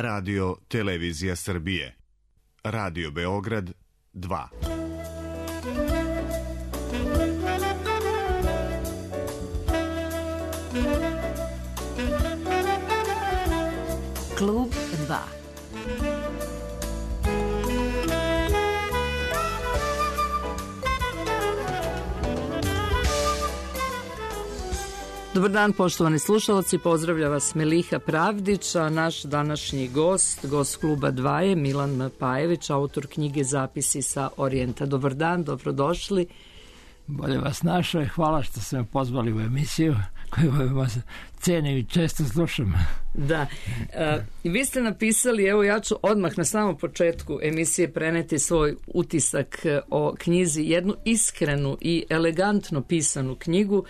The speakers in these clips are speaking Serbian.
Radio Televizija Srbije. Radio Beograd 2. Klub 2. Dobar dan, poštovani slušalci, pozdravlja vas Meliha Pravdić, a naš današnji gost Kluba 2 je Milan Pajević, autor knjige Zapisi sa Orijenta. Dobar dan, dobrodošli. Bolje vas našao i hvala što ste me pozvali u emisiju koju vas cenim i često slušam. Da, vi ste napisali, evo ja ću odmah na samom početku emisije preneti svoj utisak o knjizi, jednu iskrenu i elegantno pisanu knjigu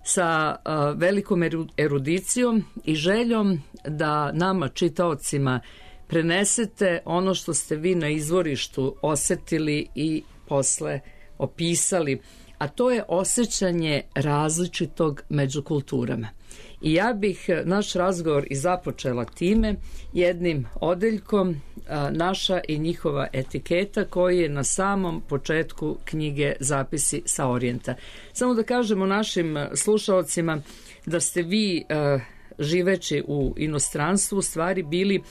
sa velikom erudicijom i željom da nama, čitaocima, prenesete ono što ste vi na izvorištu osetili i posle opisali, a to je osjećanje različitog među kulturama. I ja bih naš razgovor i započela time jednim odeljkom naša i njihova etiketa koji je na samom početku knjige Zapisi sa Orijenta. Samo da kažemo našim slušaocima da ste vi živeći u inostranstvu u stvari bili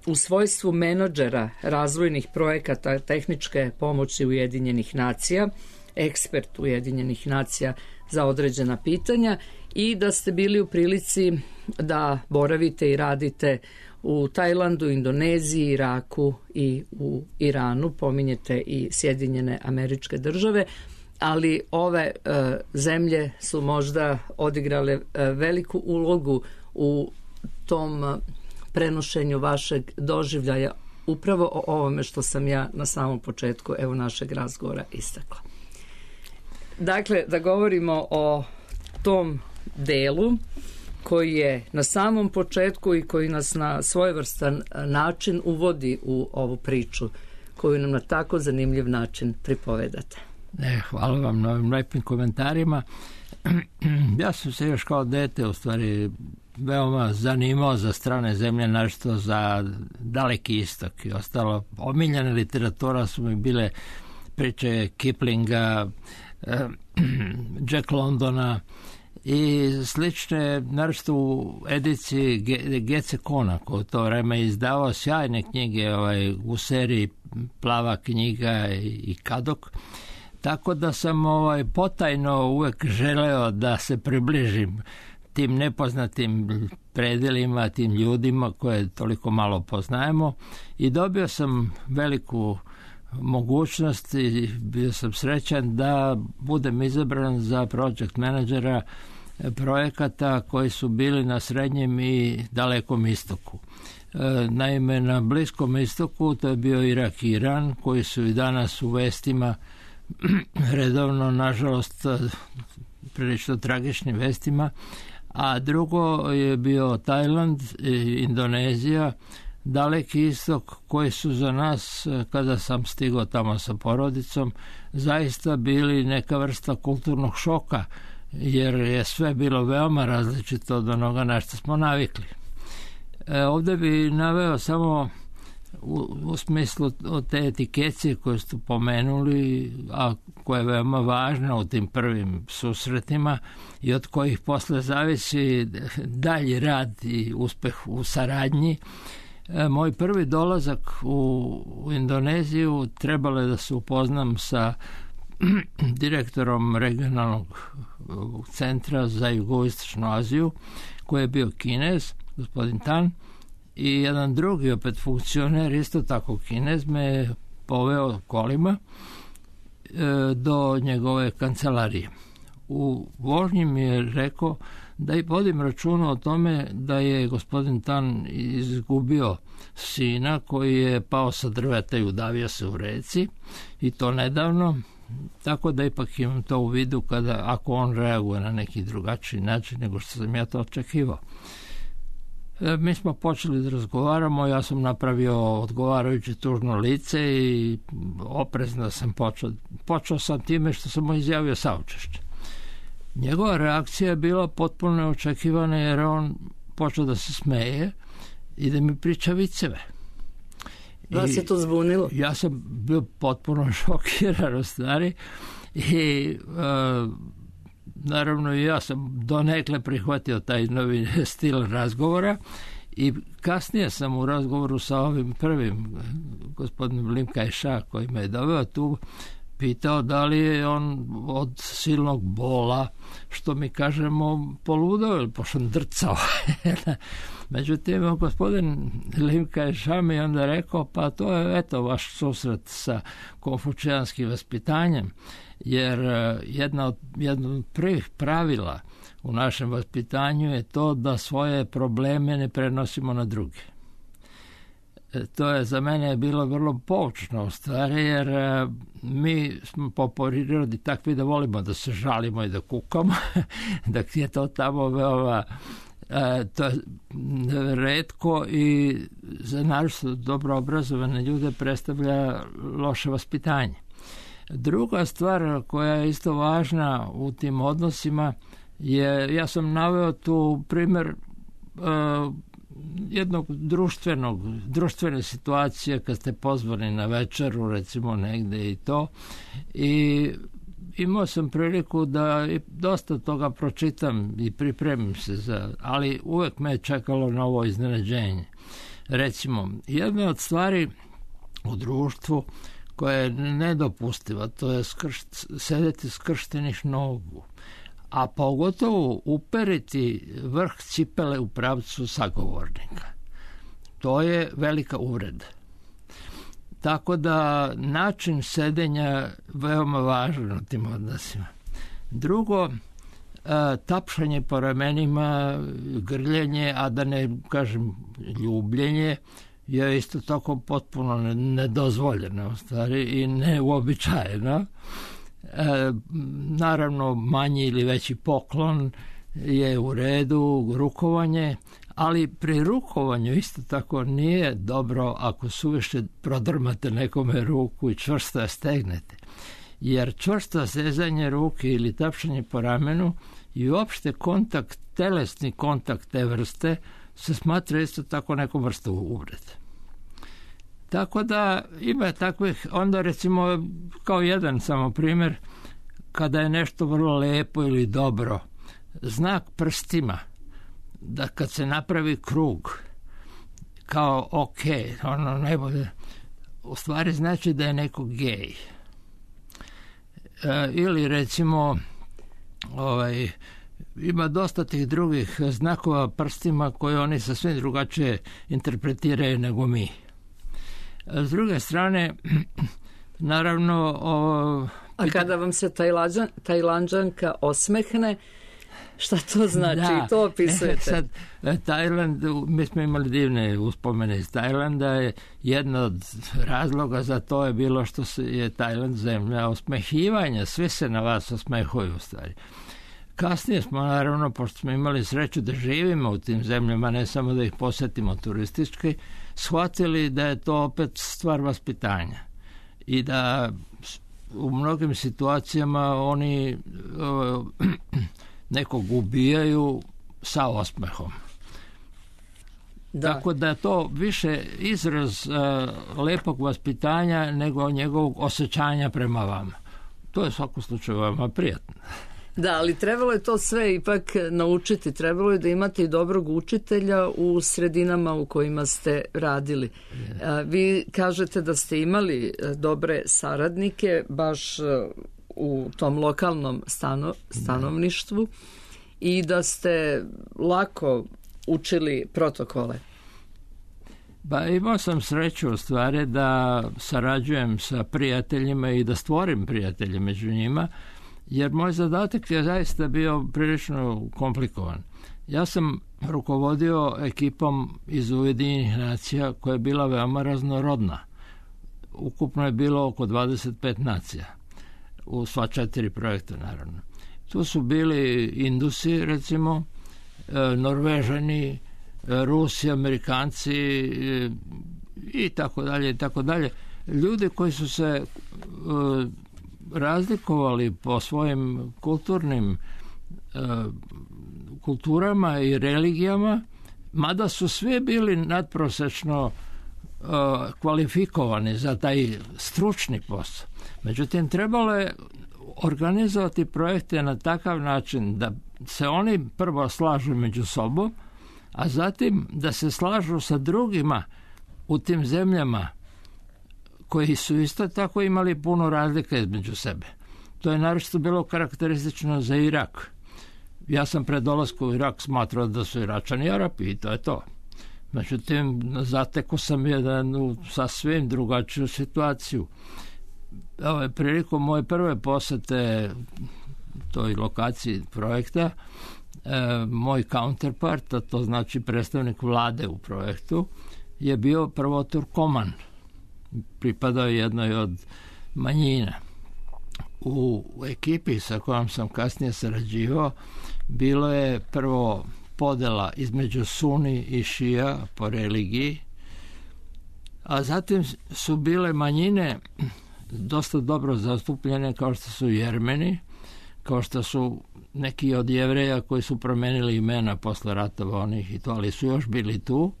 u svojstvu menadžera razvojnih projekata tehničke pomoći Ujedinjenih nacija, ekspert Ujedinjenih nacija za određena pitanja i da ste bili u prilici da boravite i radite u Tajlandu, Indoneziji, Iraku i u Iranu. Pominjete i Sjedinjene Američke Države, ali ove zemlje su možda odigrale veliku ulogu u tom prenošenju vašeg doživljaja upravo o ovome što sam ja na samom početku evo našeg razgovora istakla. Dakle, da govorimo o tom delu koji je na samom početku i koji nas na svojevrstan način uvodi u ovu priču koju nam na tako zanimljiv način pripovedate. Hvala vam na ovim lepim komentarima. Ja sam se još kao dete u stvari veoma zanimao za strane zemlje, našto za Daleki istok i ostalo. Omiljena literatura su mi bile priče Kiplinga, Jack Londona i slične, naročito u ediciji Gece Kona koji u to vreme izdavao sjajne knjige u seriji Plava knjiga i Kadok. Tako da sam potajno uvek želeo da se približim tim nepoznatim predelima, tim ljudima koje toliko malo poznajemo i dobio sam veliku mogućnost i bio sam srećan da budem izabran za project menadžera projekata koji su bili na Srednjem i Dalekom istoku. Naime, na Bliskom istoku to je bio Irak i Iran koji su i danas u vestima redovno, nažalost, prilično tragičnim vestima, a drugo je bio Tajland, Indonezija, Daleki istok koji su za nas, kada sam stigao tamo sa porodicom, zaista bili neka vrsta kulturnog šoka, jer je sve bilo veoma različito od onoga na što smo navikli. Ovdje bi naveo samo u smislu te etikecije koje ste pomenuli, a koja je veoma važna u tim prvim susretima i od kojih posle zavisi dalji rad i uspeh u saradnji. Moj prvi dolazak u Indoneziju trebalo je da se upoznam sa direktorom regionalnog centra za jugoistočnu Aziju, koji je bio Kinez, gospodin Tan, i jedan drugi opet funkcioner, isto tako Kinez, me poveo kolima do njegove kancelarije. U vožnji mi je rekao da i vodim računa o tome da je gospodin Tan izgubio sina koji je pao sa drveta i udavio se u reci, i to nedavno, tako da ipak imam to u vidu ako on reaguje na neki drugačiji način nego što sam ja to očekivao. Mi smo počeli da razgovaramo, ja sam napravio odgovarajuće tužno lice i oprezno sam počeo sam time što sam mu izjavio saučešće. Njegova reakcija je bila potpuno neočekivana jer on počeo da se smeje i da mi priča viceve. Vas je to zbunilo? Ja sam bio potpuno šokiran u stvari i naravno ja sam donekle prihvatio taj novi stil razgovora i kasnije sam u razgovoru sa ovim prvim gospodinom Lim Kaj-ša koji me je doveo tu pitao da li je on od silnog bola, što mi kažemo, poludao ili pošandrcao. Međutim, gospodin Lim Kaj-ša mi onda rekao, pa to je eto vaš susret sa konfučijanskim vaspitanjem, jer jedno od prvih pravila u našem vaspitanju je to da svoje probleme ne prenosimo na druge. To je za mene bilo vrlo poučno u stvari, jer mi smo po prirodi takvi da volimo da se žalimo i da kukamo, da je to tamo veoma to je retko i za naročito dobro obrazovane ljude predstavlja loše vaspitanje. Druga stvar koja je isto važna u tim odnosima je, ja sam naveo tu primjer jednog društvene situacije kad ste pozvani na večeru, recimo negde i to, i imao sam priliku da dosta toga pročitam i pripremim se ali uvek me je čekalo novo iznenađenje. Recimo, jedna od stvari u društvu koja je nedopustiva, to je sedeti skrštenih nogu, a pogotovo uperiti vrh cipele u pravcu sagovornika. To je velika uvreda. Tako da način sedenja veoma važan u tim odnosima. Drugo, tapšanje po ramenima, grljenje, a da ne kažem ljubljenje, je isto tako potpuno nedozvoljeno u stvari i neuobičajeno. Naravno, manji ili veći poklon je u redu, rukovanje, ali pri rukovanju isto tako nije dobro ako suviše prodrmate nekome ruku i čvrsto je stegnete. Jer čvrsto stezanje ruke ili tapšanje po ramenu i uopšte telesni kontakt te vrste se smatra isto tako nekom vrstu uvrede. Tako da ima takvih, onda recimo kao jedan samo primjer, kada je nešto vrlo lepo ili dobro, znak prstima, da kad se napravi krug, kao ok, ono najbolje, u stvari znači da je neko gej. Ili recimo, ima dosta tih drugih znakova prstima koje oni sasvim drugačije interpretiraju nego mi. S druge strane, naravno... A kada vam se Tajlanđanka osmehne, šta to znači? Da, to opisujete. Sad, Tajland, mi smo imali divne uspomene iz Tajlanda, je jedna od razloga za to je bilo što je Tajland zemlja osmehivanja, svi se na vas osmehuju u stvari. Kasnije smo, naravno, pošto smo imali sreću da živimo u tim zemljama, ne samo da ih posetimo turistički, shvatili da je to opet stvar vaspitanja i da u mnogim situacijama oni nekog ubijaju sa osmehom. Da. Tako da je to više izraz lepog vaspitanja nego njegovog osjećanja prema vama. To je u svakom slučaju vama prijatno. Da, ali trebalo je to sve ipak naučiti. Trebalo je da imate i dobrog učitelja u sredinama u kojima ste radili. Vi kažete da ste imali dobre saradnike baš u tom lokalnom stanovništvu i da ste lako učili protokole. Ba, imao sam sreću u stvari da sarađujem sa prijateljima i da stvorim prijatelje među njima, jer moj zadatak je zaista bio prilično komplikovan. Ja sam rukovodio ekipom iz Ujedinjenih nacija koja je bila veoma raznorodna. Ukupno je bilo oko 25 nacija u sva 4 projekta, naravno. Tu su bili Indusi, recimo, Norvežani, Rusi, Amerikanci i tako dalje, i tako dalje. Ljudi koji su se razlikovali po svojim kulturama i religijama, mada su svi bili nadprosečno kvalifikovani za taj stručni posao. Međutim, trebalo je organizovati projekte na takav način da se oni prvo slažu među sobom, a zatim da se slažu sa drugima u tim zemljama koji su isto tako imali puno razlika između sebe. To je naročito bilo karakteristično za Irak. Ja sam pred dolaskom u Irak smatrao da su Iračani Arapi i to je to. Međutim, zatekao sam jednu sasvim drugačiju situaciju. Prilikom moje prve posete toj lokaciji projekta, moj counterpart, a to znači predstavnik vlade u projektu, je bio prvo Turkoman. Pripadao jednoj od manjina. U ekipi sa kojom sam kasnije sarađivao bilo je prvo podela između Suni i Šija po religiji, a zatim su bile manjine dosta dobro zastupljene, kao što su Jermeni, kao što su neki od Jevreja koji su promenili imena posle ratova onih i to, ali su još bili tu,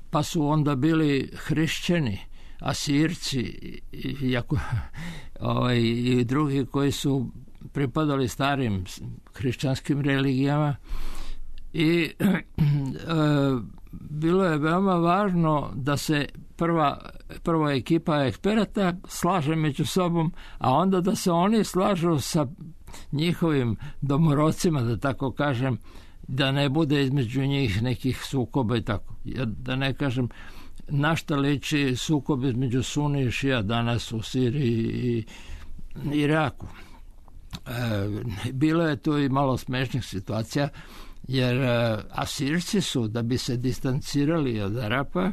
pa su onda bili hrišćani, Asirci i drugi koji su pripadali starim hrišćanskim religijama i bilo je veoma važno da se prva ekipa eksperata slaže među sobom, a onda da se oni slažu sa njihovim domorodcima, da tako kažem, da ne bude između njih nekih sukoba i tako. Da ne kažem na šta liči sukob između Suni i Šija danas u Siriji i Iraku. Bilo je tu i malo smešnih situacija, jer Asirci su, da bi se distancirali od Arapa,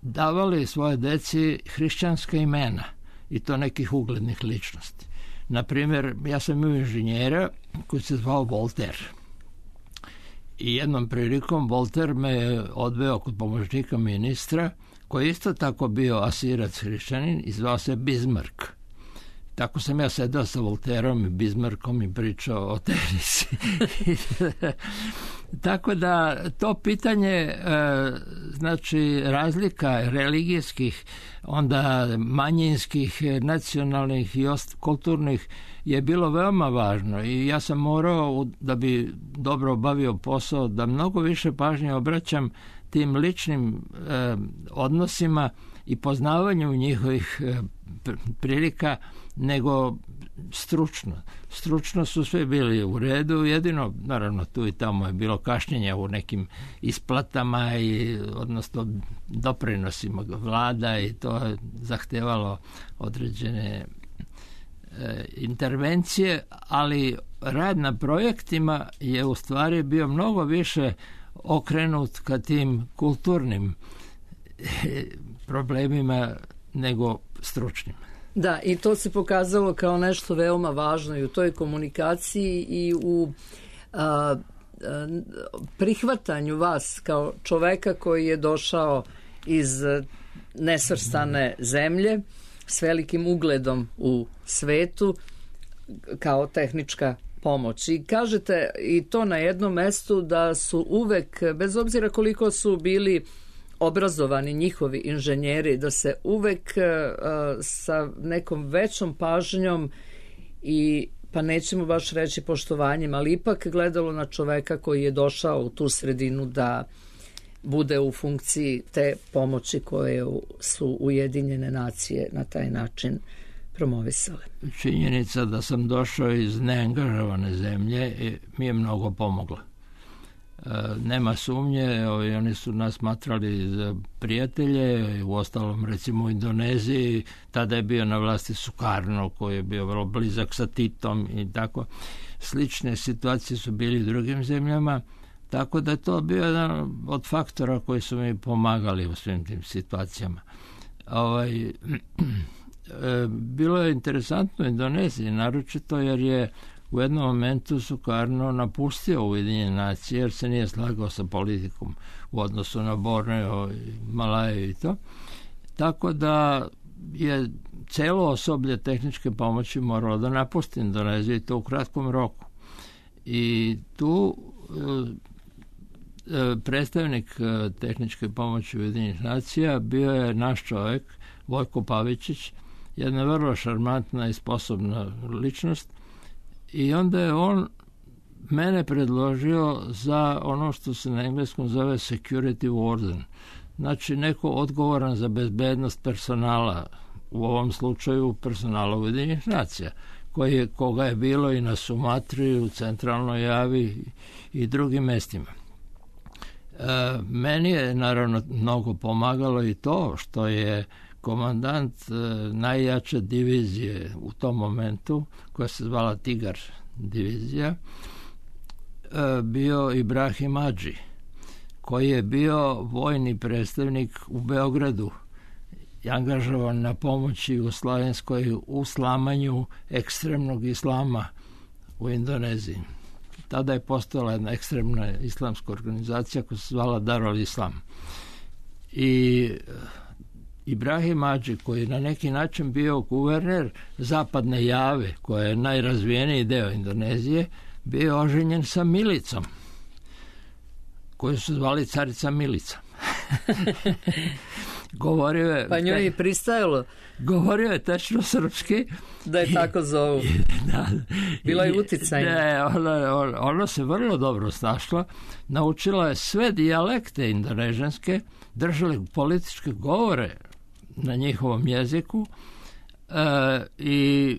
davali svoje deci hrišćanska imena i to nekih uglednih ličnosti. Naprimjer, ja sam imao inženjera koji se zvao Voltaire. I jednom prilikom Voltaire me je odveo kod pomoćnika ministra, koji je isto tako bio Asirac hrišćanin i zvao se Bismarck. Tako sam ja sedao sa Voltaireom i Bismarckom i pričao o tenisi. Tako da to pitanje, znači razlika religijskih, onda manjinskih, nacionalnih i kulturnih je bilo veoma važno i ja sam morao, da bi dobro obavio posao, da mnogo više pažnje obraćam tim ličnim odnosima i poznavanju njihovih prilika nego stručno. Stručno su sve bili u redu, jedino, naravno, tu i tamo je bilo kašnjenja u nekim isplatama odnosno doprinosima vlada i to je zahtevalo određene intervencije, ali rad na projektima je u stvari bio mnogo više okrenut ka tim kulturnim problemima nego stručnim. Da, i to se pokazalo kao nešto veoma važno i u toj komunikaciji i u prihvatanju vas kao čoveka koji je došao iz nesvrstane zemlje s velikim ugledom u svetu kao tehnička pomoć. I kažete i to na jednom mestu da su uvek, bez obzira koliko su bili obrazovani njihovi inženjeri, da se uvek sa nekom većom pažnjom i pa nećemo baš reći poštovanjem, ali ipak gledalo na čoveka koji je došao u tu sredinu da bude u funkciji te pomoći koje su Ujedinjene nacije na taj način promovisale. Činjenica da sam došao iz neangažovane zemlje mi je mnogo pomogla. Nema sumnje, oni su nas smatrali za prijatelje, u ostalom recimo u Indoneziji, tada je bio na vlasti Sukarno koji je bio vrlo blizak sa Titom i tako. Slične situacije su bili u drugim zemljama, tako da je to bio jedan od faktora koji su mi pomagali u svim tim situacijama. Bilo je interesantno u Indoneziji, naročito jer je u jednom momentu Sukarno napustio Ujedinjene nacije jer se nije slagao sa politikom u odnosu na Borneo i Malaju i to. Tako da je celo osoblje tehničke pomoći moralo da napusti Indoneziju i to u kratkom roku. I tu predstavnik tehničke pomoći Ujedinjenih nacija bio je naš čovjek, Vojko Pavičić, jedna vrlo šarmantna i sposobna ličnost, i onda je on mene predložio za ono što se na engleskom zove security warden, znači neko odgovoran za bezbednost personala, u ovom slučaju personala Ujedinjenih nacija, koga je bilo i na Sumatri, u Centralnoj Javi i drugim mestima. Meni je naravno mnogo pomagalo i to što je komandant najjače divizije u tom momentu, koja se zvala Tigar divizija, bio Ibrahim Hadži, koji je bio vojni predstavnik u Beogradu, angažovan na pomoći Jugoslovenskoj u slamanju ekstremnog islama u Indoneziji. Tada je postojala jedna ekstremna islamska organizacija koja se zvala Darul Islam. I Ibrahim Hadži, koji je na neki način bio guverner zapadne Jave, koja je najrazvijeniji deo Indonezije, bio oženjen sa Milicom, koju su zvali carica Milica. Govorio je, pa njoj je pristajalo. Govorio je tačno srpski. Da je tako zovu. Da. Bila je uticajna. Ne, ona se vrlo dobro snašla. Naučila je sve dijalekte indonežanske, držali političke govore na njihovom jeziku i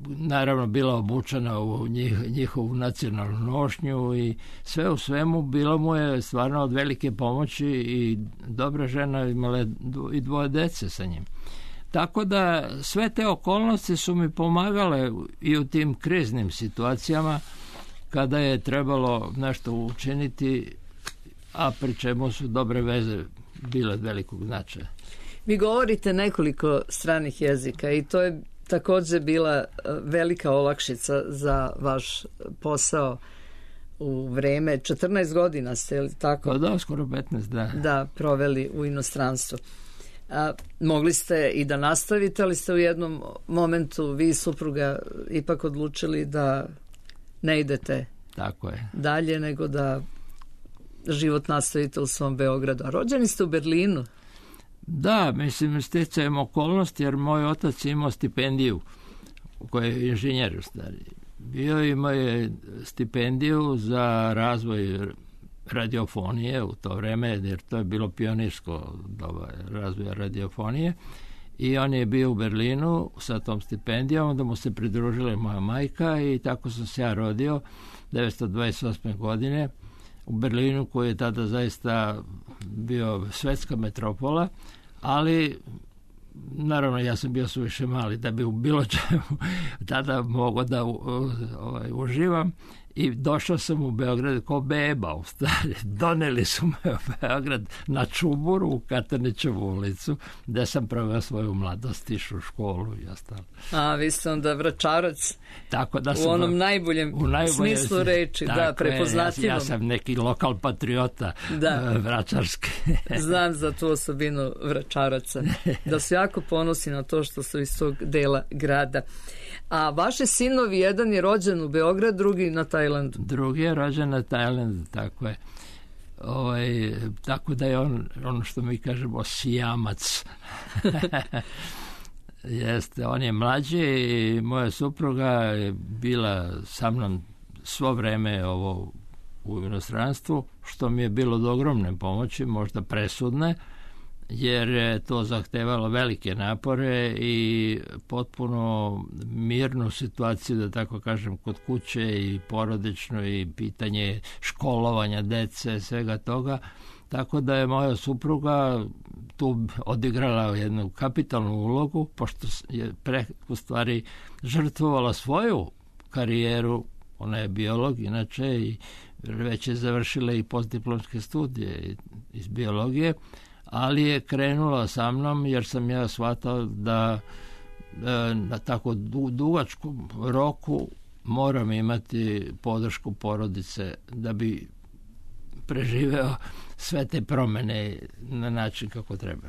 naravno bila obučena u njihovu nacionalnu nošnju i sve u svemu bilo mu je stvarno od velike pomoći i dobra žena, imala i 2 dece sa njim. Tako da sve te okolnosti su mi pomagale i u tim kriznim situacijama kada je trebalo nešto učiniti, a pri čemu su dobre veze bile od velikog značaja. Vi govorite nekoliko stranih jezika i to je također bila velika olakšica za vaš posao u vreme. 14 godina ste, li tako? Da, skoro 15, da. Da, proveli u inostranstvu. Mogli ste i da nastavite, ali ste u jednom momentu vi i supruga ipak odlučili da ne idete tako je dalje, nego da život nastavite u svom Beogradu. A rođeni ste u Berlinu? Da, mislim, sticajem okolnosti, jer moj otac imao stipendiju, koji je inženjer u stvari. Imao je stipendiju za razvoj radiofonije u to vreme, jer to je bilo pionirsko doba razvoja radiofonije, i on je bio u Berlinu sa tom stipendijom, onda mu se pridružila moja majka i tako sam se ja rodio 1928. godine u Berlinu, koji je tada zaista bio svetska metropola, ali naravno ja sam bio suviše mali da bi u bilo čemu tada mogao da uživam, i došao sam u Beograd kao beba u stvari. Doneli su me u Beograd na Čuburu u Katanićevu ulicu, gde sam proveo svoju mladost, išao u školu i ostalo. A vi ste onda Vračarac, tako da u onom najboljem smislu reči, da, prepoznatljivom. Ja sam neki lokal patriota vračarski. Znam za tu osobinu Vračaraca, da su jako ponosni na to što su iz tog dela grada. A vaše sinovi, jedan je rođen u Beograd, drugi na Tajlandu. Drugi je rođen na Tajlandu, tako je. Tako da je on što mi kažemo sijamac. Jeste, on je mlađi i moja supruga je bila sa mnom svo vreme u inostranstvu, što mi je bilo od ogromne pomoći, možda presudne, jer je to zahtevalo velike napore i potpuno mirnu situaciju, da tako kažem, kod kuće i porodično, i pitanje školovanja dece, svega toga. Tako da je moja supruga tu odigrala jednu kapitalnu ulogu, pošto je u stvari žrtvovala svoju karijeru. Ona je biolog inače i već je završila i postdiplomske studije iz biologije, ali je krenula sa mnom jer sam ja shvatao da na tako dugačkom roku moram imati podršku porodice da bi preživeo sve te promene na način kako treba.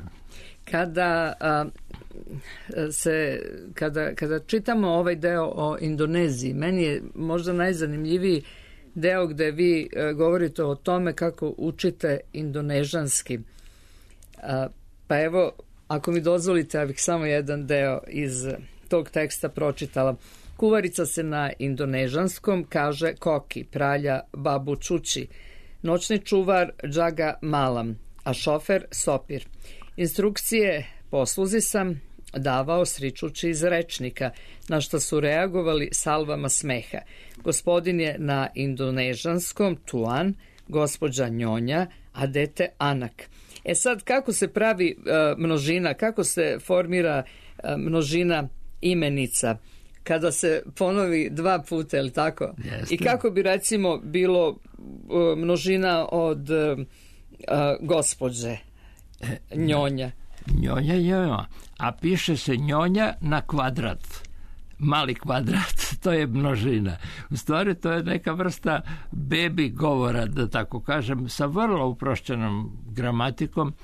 Kada čitamo ovaj deo o Indoneziji, meni je možda najzanimljiviji deo gde vi govorite o tome kako učite indonežanski. Pa evo, ako mi dozvolite, ja bih samo jedan deo iz tog teksta pročitala. Kuvarica se na indonežanskom kaže koki, pralja babu čuči, noćni čuvar džaga malam, a šofer sopir. Instrukcije posluzi sam davao sričući iz rečnika, na što su reagovali salvama smeha. Gospodin je na indonežanskom tuan, gospođa njonja, a dete anak. E sad, kako se pravi množina, kako se formira množina imenica kada se ponovi dva puta, je li tako? Jeste. I kako bi recimo bilo množina od gospođe njonja? Njonja, a piše se njonja na kvadrat. Mali kvadrat, to je množina. U stvari to je neka vrsta baby govora, da tako kažem, sa vrlo uprošćenom gramatikom,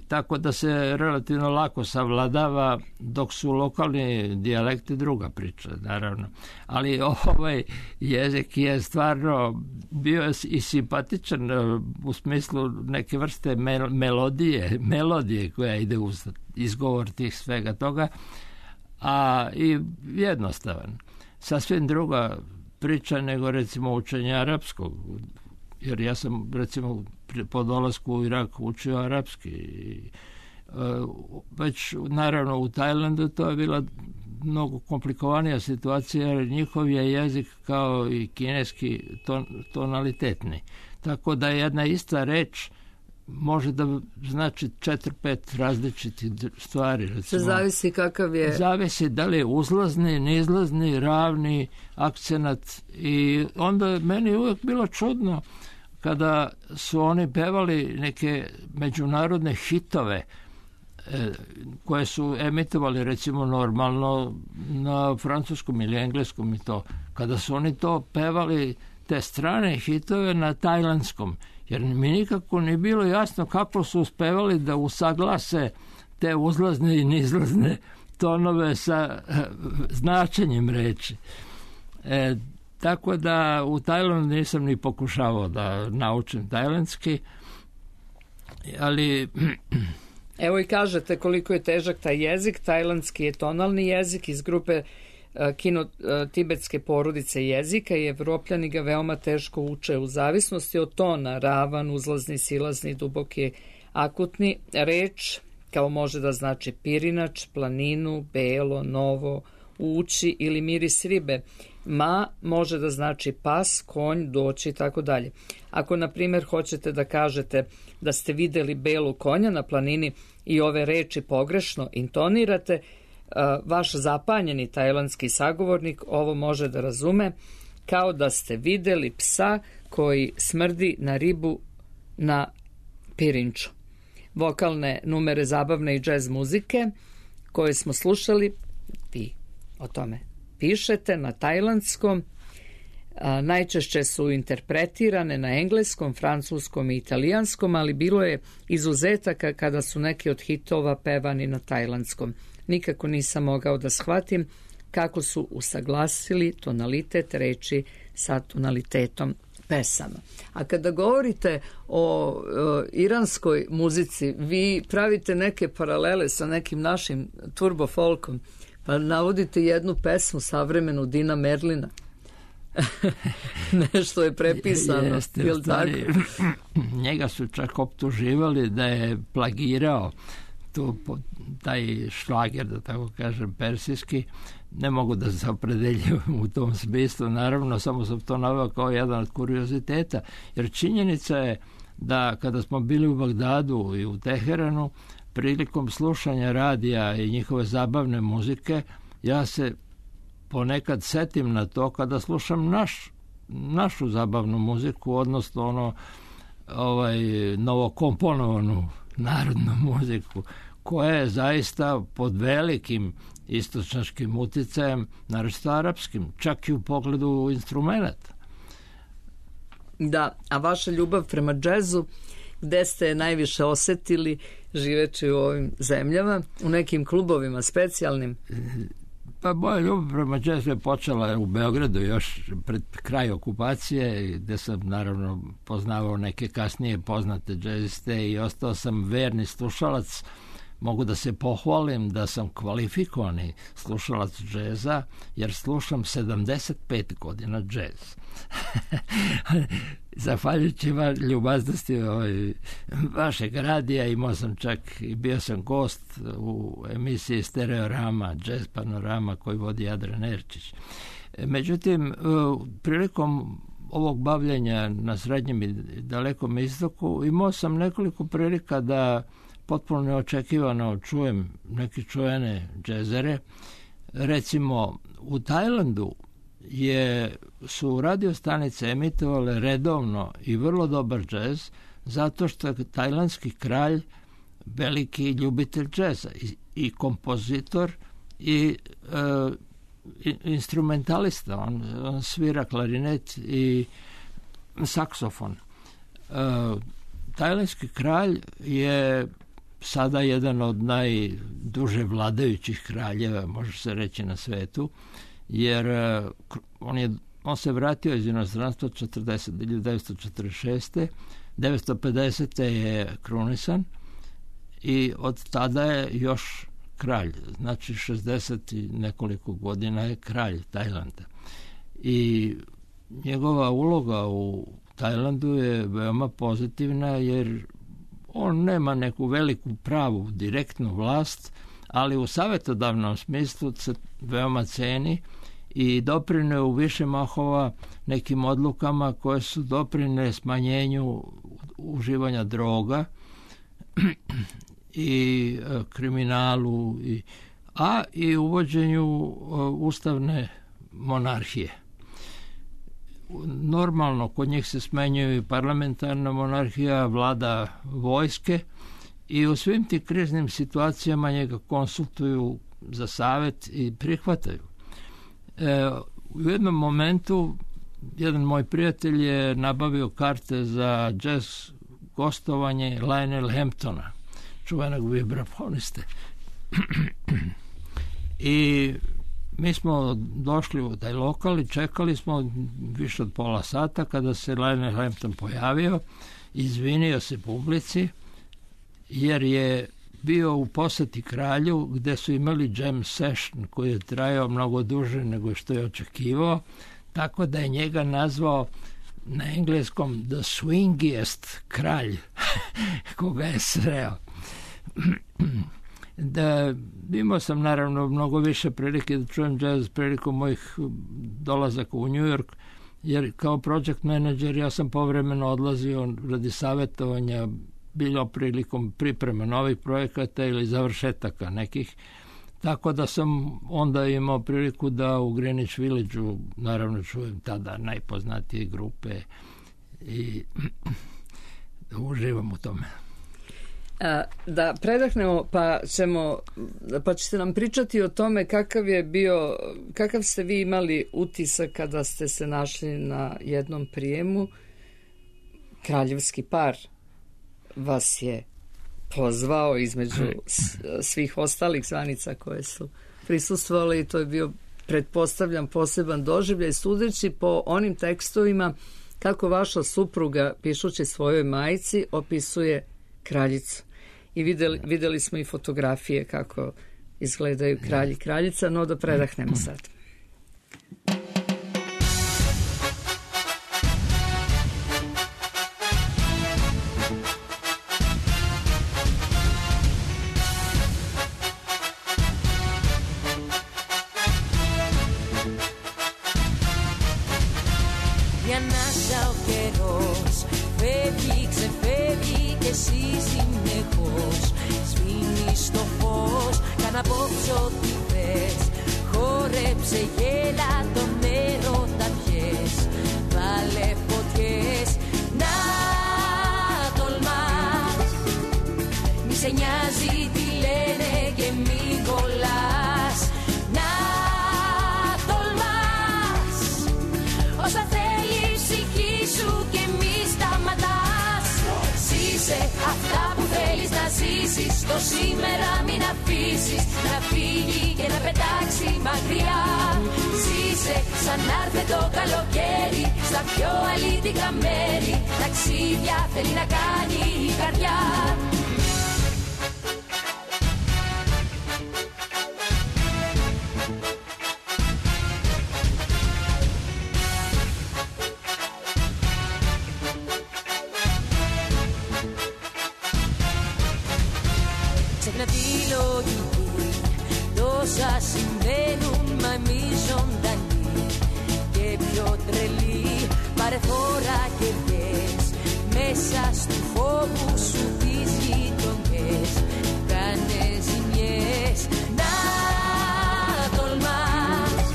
tako da se relativno lako savladava, dok su lokalni dijalekti druga priča, naravno. Ali ovaj jezik je stvarno bio i simpatičan u smislu neke vrste melodije koja ide uz izgovor tih svega toga, a i jednostavan. Sasvim druga priča nego recimo učenje arapskog, jer ja sam recimo po dolasku u Irak učio arapski. Već naravno u Tajlandu to je bila mnogo komplikovanija situacija, jer njihov je jezik kao i kineski tonalitetni. Tako da jedna ista reč može da znači 4-5 različitih stvari. Recimo, zavisi kakav je... Zavisi da li je uzlazni, nizlazni, ravni, akcenat. I onda meni uvijek bilo čudno kada su oni pevali neke međunarodne hitove koje su emitovali recimo normalno na francuskom ili engleskom i to. Kada su oni to pevali, te strane hitove na tajlandskom, jer mi nikako nije bilo jasno kako su uspevali da usaglase te uzlazne i nizlazne tonove sa značenjem reči. Tako da u Tajlandu nisam ni pokušavao da naučim tajlandski, ali... Evo i kažete koliko je težak taj jezik. Tajlandski je tonalni jezik iz grupe kino-tibetske porodice jezika i Evropljani ga veoma teško uče u zavisnosti od tona, ravan, uzlazni, silazni, duboki, akutni. Reč kao može da znači pirinač, planinu, belo, novo, ući ili miris ribe. Ma može da znači pas, konj, doći i tako dalje. Ako, na primjer, hoćete da kažete da ste videli belu konja na planini i ove reči pogrešno intonirate, vaš zapanjeni tajlandski sagovornik ovo može da razume kao da ste videli psa koji smrdi na ribu na pirinču. Vokalne numere zabavne i džez muzike koje smo slušali, vi o tome pišete na tajlandskom, najčešće su interpretirane na engleskom, francuskom i italijanskom, ali bilo je izuzetaka kada su neki od hitova pevani na tajlandskom. Nikako nisam mogao da shvatim kako su usaglasili tonalitet reči sa tonalitetom pesama. A kada govorite o iranskoj muzici, vi pravite neke paralele sa nekim našim turbo folkom, pa navodite jednu pesmu savremenu Dina Merlina. Nešto je prepisano. Jeste, njega su čak optuživali da je plagirao taj šlager, da tako kažem, persijski. Ne mogu da se opredeljujem u tom smislu, naravno, samo sam to naveo kao jedan od kurioziteta, jer činjenica je da kada smo bili u Bagdadu i u Teheranu, prilikom slušanja radija i njihove zabavne muzike, ja se ponekad setim na to kada slušam našu zabavnu muziku, odnosno novokomponovanu narodnu muziku, koja je zaista pod velikim istočnaškim uticajem, naročito arapskim, čak i u pogledu instrumenta. Da, a vaša ljubav prema džezu, gde ste je najviše osetili živeći u ovim zemljama, u nekim klubovima specijalnim? Pa moja ljubav prema jazzu je počela u Beogradu još pred kraj okupacije, gde sam naravno poznavao neke kasnije poznate džeziste i ostao sam verni slušalac. Mogu da se pohvalim da sam kvalifikovani slušalac džeza, jer slušam 75 godina džez. Zahvaljujući ljubaznosti vašeg radija, imao sam čak i bio sam gost u emisiji Stereorama, Jazz Panorama koju vodi Adrian Erčić. Međutim, prilikom ovog bavljenja na Srednjem i Dalekom istoku imao sam nekoliko prilika da potpuno neočekivano čujem neke čuvene džezere. Recimo, u Tajlandu su radio stanice emitovale redovno i vrlo dobar džez, zato što je tajlandski kralj veliki ljubitelj džeza i kompozitor i instrumentalista. On svira klarinet i saksofon. Tajlandski kralj je sada jedan od najduže vladajućih kraljeva, može se reći, na svetu, jer on se vratio iz inostranstva 1946. 1950. je krunisan i od tada je još kralj. Znači 60 i nekoliko godina je kralj Tajlanda. I njegova uloga u Tajlandu je veoma pozitivna, jer on nema neku veliku pravu direktnu vlast, ali u savjetodavnom smislu se veoma ceni i doprineo u više mahova nekim odlukama koje su doprinele smanjenju uživanja droga i kriminalu, i uvođenju ustavne monarhije. Normalno, kod njih se smenjuje i parlamentarna monarhija, vlada vojske, i u svim tim kriznim situacijama njega konsultuju za savjet i prihvataju. U jednom momentu jedan moj prijatelj je nabavio karte za jazz gostovanje Lionel Hamptona, čuvenog vibrafoniste. I mi smo došli u taj lokal i čekali smo više od pola sata kada se Lionel Hampton pojavio, izvinio se publici jer je bio u poseti kralju gde su imali jam session koji je trajao mnogo duže nego što je očekivao, tako da je njega nazvao na engleskom the swingiest kralj koga je sreo. Da, imao sam naravno mnogo više prilike da čujem jazz prilikom mojih dolazaka u New York, jer kao project manager ja sam povremeno odlazio radi savjetovanja, bilo prilikom priprema novih projekata ili završetaka nekih, tako da sam onda imao priliku da u Greenwich Village-u naravno čujem tada najpoznatije grupe i uživam u tome. Da predahnemo, pa ćete nam pričati o tome kakav ste vi imali utisak kada ste se našli na jednom prijemu. Kraljevski par vas je pozvao između svih ostalih zvanica koje su prisustvovali i to je bio, pretpostavljam, poseban doživljaj, sudeći po onim tekstovima kako vaša supruga, pišući svojoj majci, opisuje kraljicu. I videli smo i fotografije kako izgledaju kralj i kraljica, no da predahnemo sad. Μια ανάσα ο καιρός φεύγει, ξεφεύγει και εσύ συνεχώς σβήνεις το φως, καν απόψε ό,τι θες. Χόρεψε, γέλα, τον έρωτα πιες, βάλε φωτιές, να τολμάς. Μη σε νοιάζει τι λένε και μη κολλάς, να τολμάς. Όσα θέλει η ψυχή σου και μη σταματάς. Ζήσε αυτά που θέλεις να ζήσεις. Το σήμερα μην αφήσεις να φύγει και να πετάξει μακριά. Ζήσε σαν να έρθει το καλοκαίρι στα πιο αλήτικα μέρη. Ταξίδια θέλει να κάνει η καρδιά. Ξέχνα τη λογική, τόσα συμβαίνουν μα εμείς ζωντανοί και πιο τρελοί. Πάρε φόρα και βγες μέσα στου φόβου σου τις γειτονιές. Κάνε ζημιές, να τολμάς.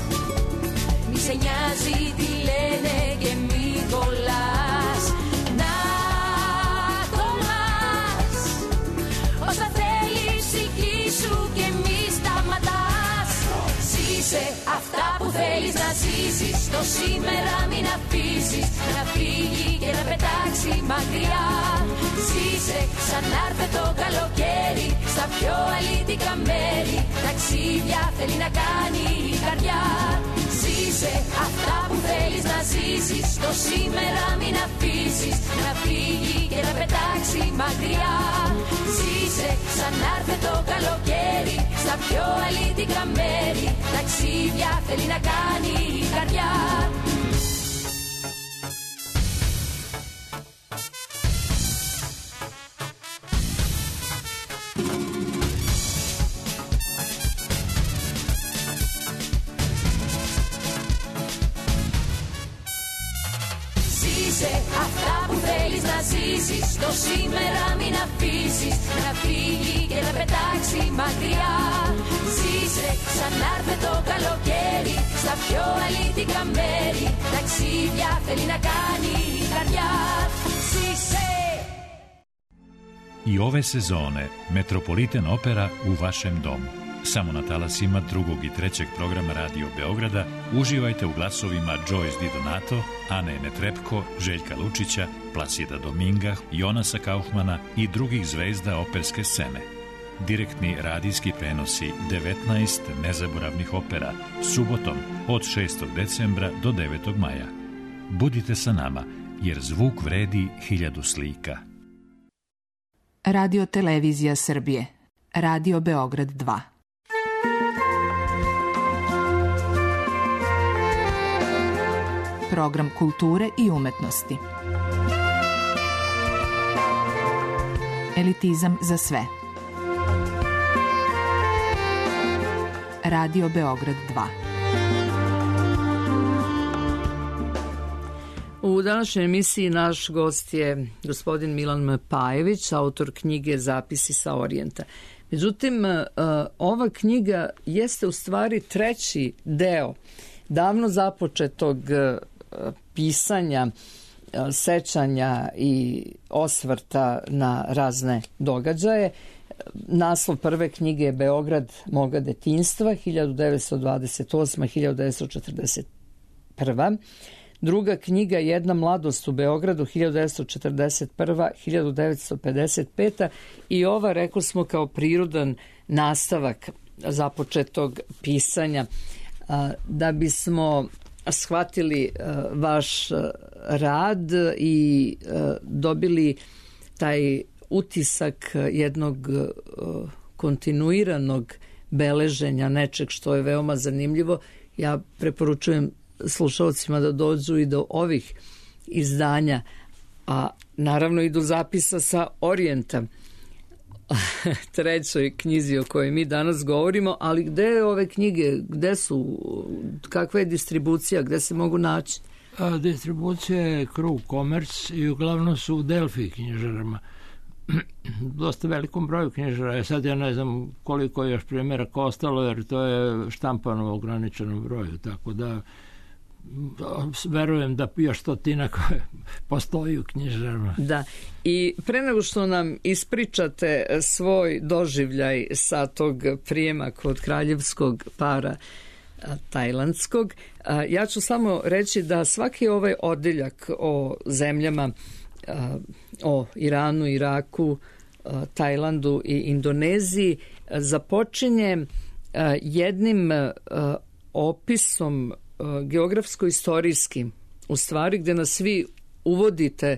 Μη σε νοιάζει τι λένε και μη κολλάς. Να τολμάς. Όσα θέλει η ψυχή σου και μη σταματάς. Ζήσε αυτά που θέλεις να ζήσεις. Το σήμερα μην αφήσεις να φύγει και να πετάξει μακριά. Ζήσε σαν να έρθει το καλοκαίρι στα πιο αλήτικα μέρη. Ταξίδια θέλει να κάνει η καρδιά. Ζήσε αυτά που θέλεις να ζήσεις. Το σήμερα μην αφήσεις να φύγει και να πετάξει μακριά. Ζήσε σαν να έρθει το καλοκαίρι στα πιο αλήτικα μέρη. Ταξίδια θέλει να κάνει η καρδιά. Ζήσε αυτά που θέλεις να ζήσεις. Το σήμερα μην αφήσεις να φύγει και να πετάξει μακριά. Ζήσε σαν να έρθει το καλοκαίρι στα πιο αλήτικα μέρη. Ταξίδια θέλει να κάνει η καρδιά. Ζήσε. I ove sezone Metropolitan Opera u vašem domu. Samo na talasima drugog i trećeg programa Radio Beograda uživajte u glasovima Joyce Di Donato, Ane Netrebko, Željka Lučića, Plasida Dominga, Jonasa Kaufmana i drugih zvezda operske scene. Direktni radijski prenosi 19 nezaboravnih opera subotom od 6. decembra do 9. maja. Budite sa nama, jer zvuk vredi 1000 slika. Radio Televizija Srbije. Radio Beograd 2. Program kulture i umetnosti. Elitizam za sve. Radio Beograd 2. U današnjoj emisiji naš gost je gospodin Milan Pajević, autor knjige Zapisi sa Orijenta. Međutim, ova knjiga jeste u stvari treći deo davno započetog pisanja, sećanja i osvrta na razne događaje. Naslov prve knjige je Beograd moga detinjstva 1928-1941. Druga knjiga Jedna mladost u Beogradu 1941-1955. I ova, rekli smo, kao prirodan nastavak započetog pisanja. Da bismo shvatili vaš rad i dobili taj utisak jednog kontinuiranog beleženja nečeg što je veoma zanimljivo, ja preporučujem slušalcima da dođu i do ovih izdanja, a naravno i do zapisa sa Orijenta, trećoj knjizi o kojoj mi danas govorimo. Ali gde je ove knjige, gde su, kakva je distribucija, gde se mogu naći? Distribucija je Krug Komerc i uglavnom su u Delfi knjižarama. Dosta velikom broju knjižara. Sad ja ne znam koliko je još primjeraka ostalo, jer to je štampano u ograničenom broju, tako da verujem da još stotina koje postoji u knjižarama. Da, i pre nego što nam ispričate svoj doživljaj sa tog prijema kod kraljevskog para tajlandskog, ja ću samo reći da svaki ovaj odeljak o zemljama o Iranu, Iraku, Tajlandu i Indoneziji započinje jednim opisom geografsko-istorijskim, u stvari gde nas svi uvodite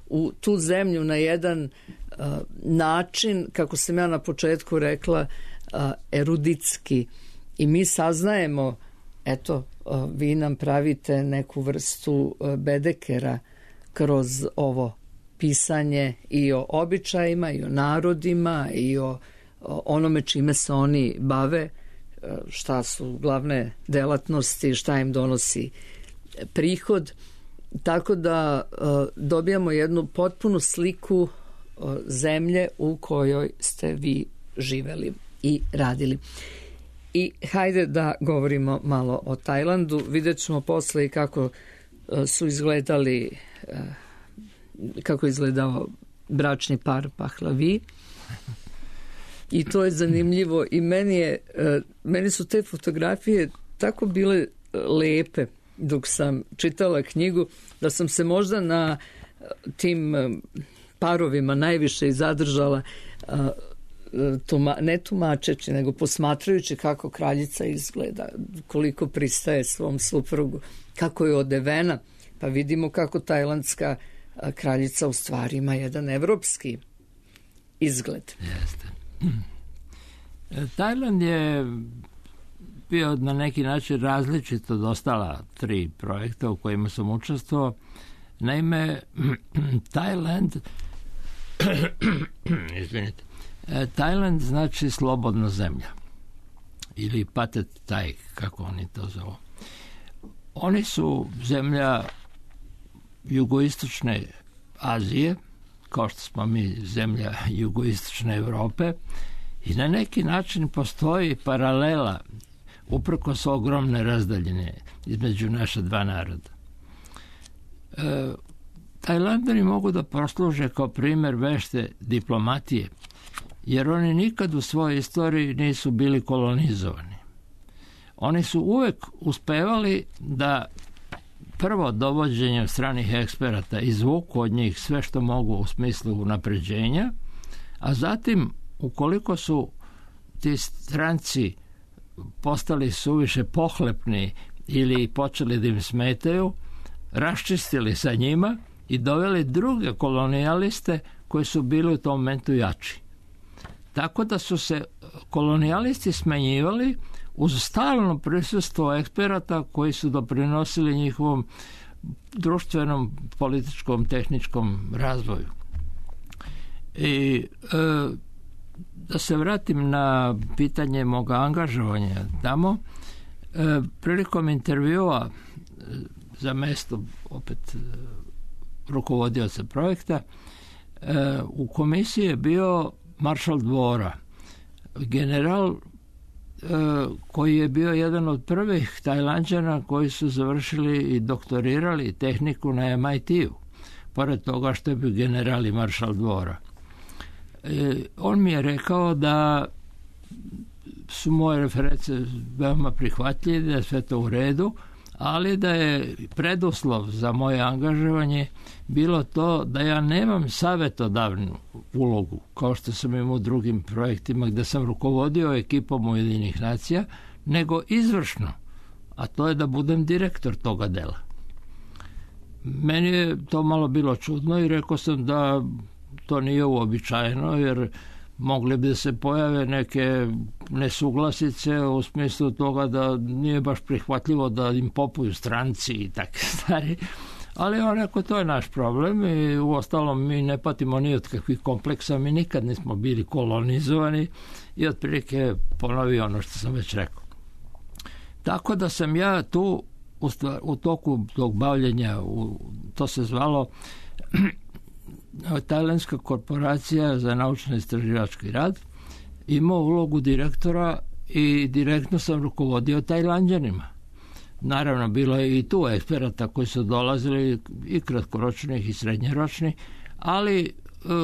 u tu zemlju na jedan način, kako sam ja na početku rekla, eruditski. I mi saznajemo, eto, vi nam pravite neku vrstu bedekera kroz ovo pisanje i o običajima, i o narodima, i o onome čime se oni bave, šta su glavne delatnosti, šta im donosi prihod. Tako da dobijamo jednu potpunu sliku zemlje u kojoj ste vi živeli i radili. I hajde da govorimo malo o Tajlandu. Vidjet ćemo posle i kako su izgledali, kako je izgledao bračni par Pahlavi. I to je zanimljivo i meni su te fotografije tako bile lepe dok sam čitala knjigu, da sam se možda na tim parovima najviše i zadržala, ne tumačeći, nego posmatrajući kako kraljica izgleda, koliko pristaje svom suprugu, kako je odevena, pa vidimo kako tajlandska kraljica u stvari ima jedan evropski izgled. Jeste. Tajland je bio na neki način različit od ostala 3 projekta u kojima sam učestvovao. Naime, Tajland znači slobodna zemlja ili Patet Taj, kako oni to zovu. Oni su zemlja jugoistočne Azije, kao što smo mi zemlja jugoistočne Evrope, i na neki način postoji paralela uprkos ogromne razdaljine između naša 2 naroda. Tajlandani mogu da posluže kao primjer vešte diplomatije, jer oni nikad u svojoj istoriji nisu bili kolonizovani. Oni su uvek uspevali da prvo dovođenjem stranih eksperata izvuku od njih sve što mogu u smislu unapređenja, a zatim, ukoliko su ti stranci postali suviše pohlepni ili počeli da im smetaju, raščistili sa njima i doveli druge kolonijaliste koji su bili u tom momentu jači. Tako da su se kolonijalisti smenjivali uz stalno prisustvo eksperata koji su doprinosili njihovom društvenom, političkom, tehničkom razvoju. I da se vratim na pitanje moga angažovanja tamo, prilikom intervjua za mesto opet rukovodioca projekta, u komisiji je bio maršal dvora, general koji je bio jedan od prvih Tajlanđana koji su završili i doktorirali tehniku na MIT-u, pored toga što je bio general i maršal dvora. On mi je rekao da su moje reference veoma prihvatljive, da je sve to u redu, ali da je preduslov za moje angažovanje bilo to da ja nemam savjetodavnu ulogu, kao što sam imao u drugim projektima gde sam rukovodio ekipom Ujedinjenih nacija, nego izvršno, a to je da budem direktor toga dela. Meni je to malo bilo čudno i rekao sam da to nije uobičajeno, jer mogli bi da se pojave neke nesuglasice u smislu toga da nije baš prihvatljivo da im popuju stranci i takve stvari. Ali on rekao, to je naš problem i uostalom mi ne patimo ni od kakvih kompleksa, mi nikad nismo bili kolonizovani i otprilike ponovio ono što sam već rekao. Tako da sam ja tu u toku tog bavljenja, to se zvalo Tajlandska korporacija za naučno-istraživački rad, imao ulogu direktora i direktno sam rukovodio Tajlanđanima. Naravno, bilo je i tu eksperata koji su dolazili i kratkoročnih i srednjeročnih, ali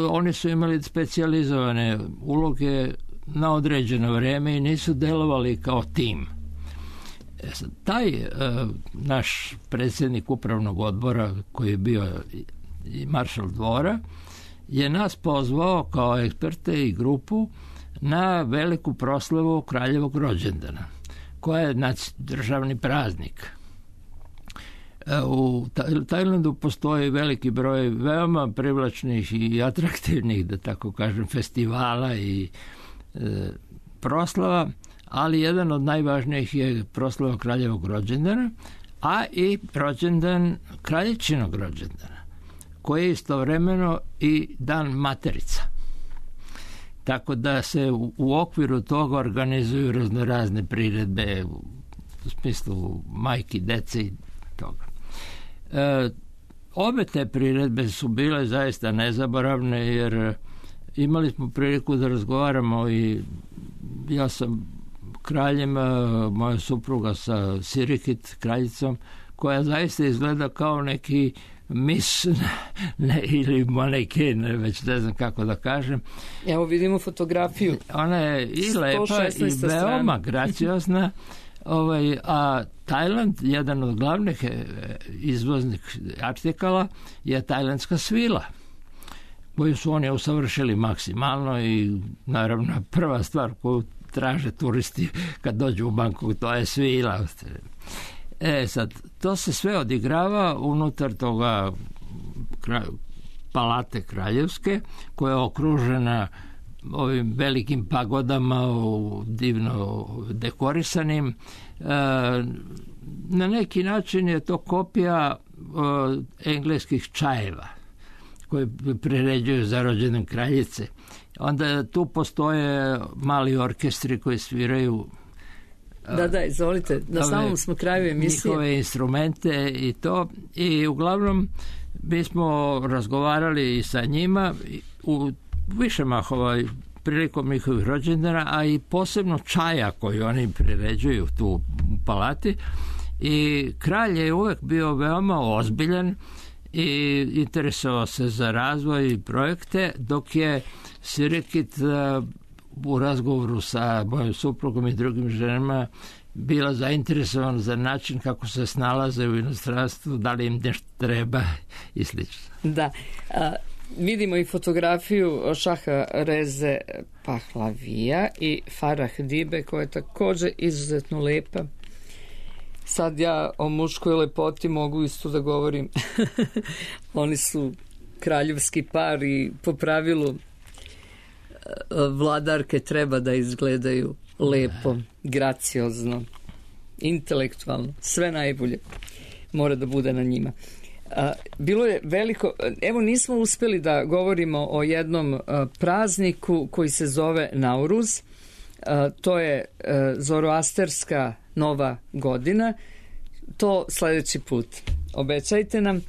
oni su imali specijalizovane uloge na određeno vrijeme i nisu delovali kao tim. Taj naš predsjednik upravnog odbora, koji je bio i maršal dvora, je nas pozvao kao eksperte i grupu na veliku proslavu kraljevog rođendana, koja je državni praznik. U Tajlandu postoji veliki broj veoma privlačnih i atraktivnih, da tako kažem, festivala i proslava, ali jedan od najvažnijih je proslava kraljevog rođendana, a i rođendan kraljičinog rođendana, koji je istovremeno i dan materica. Tako da se u okviru toga organizuju razne priredbe u smislu majki, dece i toga. Obe te priredbe su bile zaista nezaboravne, jer imali smo priliku da razgovaramo i ja sam kraljem, moja supruga sa Sirikit, kraljicom, koja zaista izgleda kao neki mis ili maneken, već ne znam kako da kažem. Evo vidimo fotografiju. Ona je i lepa i veoma graciozna. A Tajland, jedan od glavnih izvoznih artikala, je tajlandska svila, koju su oni usavršili maksimalno i naravno prva stvar koju traže turisti kad dođu u Bangkok, to je svila. Sad, to se sve odigrava unutar toga palate kraljevske, koja je okružena ovim velikim pagodama divno dekorisanim. Na neki način je to kopija engleskih čajeva koje priređuju za rođendan kraljice. Onda tu postoje mali orkestri koji sviraju Da, izvolite, na samom smo kraju emisije. Njihove instrumente i to. I uglavnom mi smo razgovarali i sa njima u više mahova prilikom njihovih rođendana, a i posebno čaja koji oni priređuju tu u palati. I kralj je uvek bio veoma ozbiljan i interesovao se za razvoj i projekte, dok je Sirikit u razgovoru sa mojom suprugom i drugim ženama bila zainteresovan za način kako se snalaze u inostranstvu, da li im nešto treba i slično. Da, vidimo i fotografiju Šaha Reze Pahlavija i Farah Dibe, koja je također izuzetno lepa. Sad ja o muškoj lepoti mogu isto da govorim. Oni su kraljevski par i po pravilu vladarke treba da izgledaju lepo, graciozno, intelektualno, sve najbolje mora da bude na njima. Bilo je veliko, evo nismo uspjeli da govorimo o jednom prazniku koji se zove Nauruz, to je zoroasterska nova godina, to sljedeći put obećajte nam.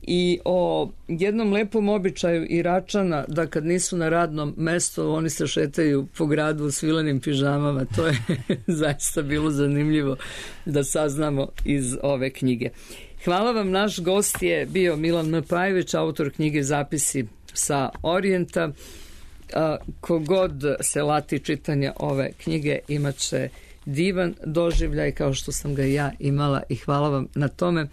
I o jednom lepom običaju Iračana, da kad nisu na radnom mestu, oni se šetaju po gradu u svilenim pižamama. To je zaista bilo zanimljivo da saznamo iz ove knjige. Hvala vam, naš gost je bio Milan M. Pajević, autor knjige Zapisi sa Orijenta. Kogod se lati čitanja ove knjige imat će divan doživljaj kao što sam ga ja imala i hvala vam na tome.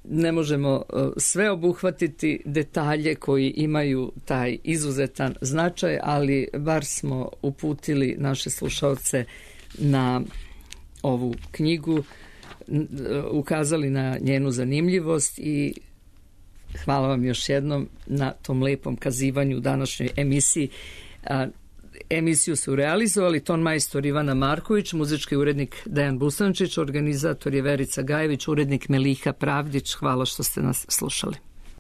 Ne možemo sve obuhvatiti detalje koji imaju taj izuzetan značaj, ali bar smo uputili naše slušalce na ovu knjigu, ukazali na njenu zanimljivost i hvala vam još jednom na tom lepom kazivanju u današnjoj emisiji. Emisiju su realizovali ton majstor Ivana Marković, muzički urednik Dejan Busančić, organizator je Verica Gajević, urednik Meliha Pravdić. Hvala što ste nas slušali.